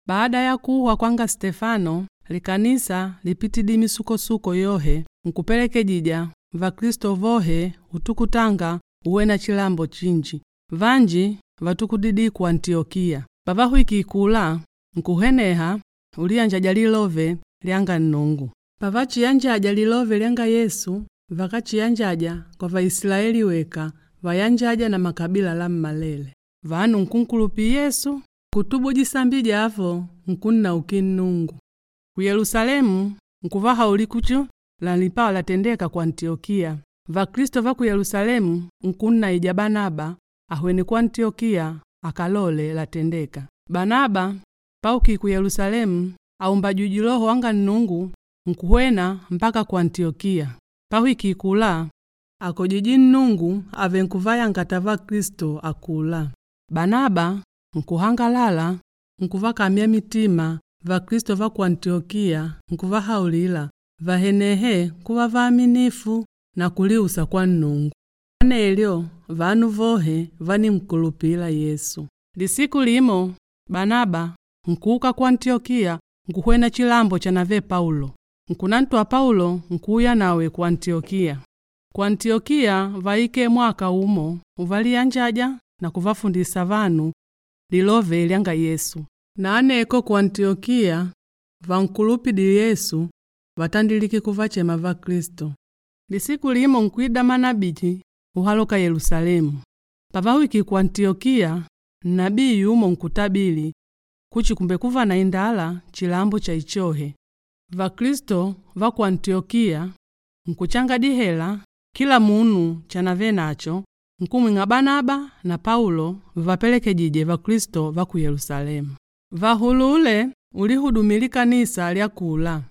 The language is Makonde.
Baada ya kuhwa kwanga Stefano, likanisa lipitidi misukosuko yohe nkupelekejija Vakristo vohe utukutanga uwena chilambo chinji. Vanji vatukudidi ku Antiyokiya. Pavahwikile kula nkuheneha uliyanjaja lilove lyanga Nnungu. Pavachiyanjaja lilove lyanga Yesu, vakáchiyanjaja kwa Vaisilaeli weka, vayanjaja na makabila lammalele. Vanu nkunkulupila Yesu, nkutubu disambi dyavo, nkunnaukila Nnungu. Ku Yelusalemu nkuvahaulila kuchi lalipawa latendeka ku Antiyokiya. Vakristo va ku Yelusalemu nkunnaija Banaba ahwene ku Antiyokiya akalole latendeka. Banaba paukile ku Yelusalemu aumbajwije Loho wanga Nnungu nkuhwena mpaka ku Antiyokiya. Pahwikile kula akojije Nnungu ave nkuvayangata Vakristo akula. Banaba nkuhangalala nkuvakamya mitima Vakristo va ku Antiyokiya nkuvahaulila vahenehe kuva vaaminifu na kuliusa kwa Nnungu. Anelyo vanu vohe vaninkulupila Yesu. Lisiku limo Banaba nkuuka ku Antiyokiya nkuhwena chilambo chanave Paulo. Nkunantwa Paulo nkuuya nawe ku Antiyokiya. Ku Antiyokiya vaike mwaka umo uvaliyanjaja na kuvafundisa vanu lilove lyanga Yesu. Na aneko ku Antiyokiya vankulupidile Yesu vatandilike kuvachema Vakristo. Lisiku limo nkwida manabiji uhaloka Yelusalemu. Pavahwikile ku Antiyokiya, nabii yumo nkutabili kuchi kumbekuva na indala chilambo cha ichohe. Vakristo va ku Antiyokiya nkuchanga dihela kila munu chanave nacho nkumwing'a Banaba na Paulo vavapelekejije Vakristo va ku Yelusalemu. Vahulule ulihudumila likanisa lya kula.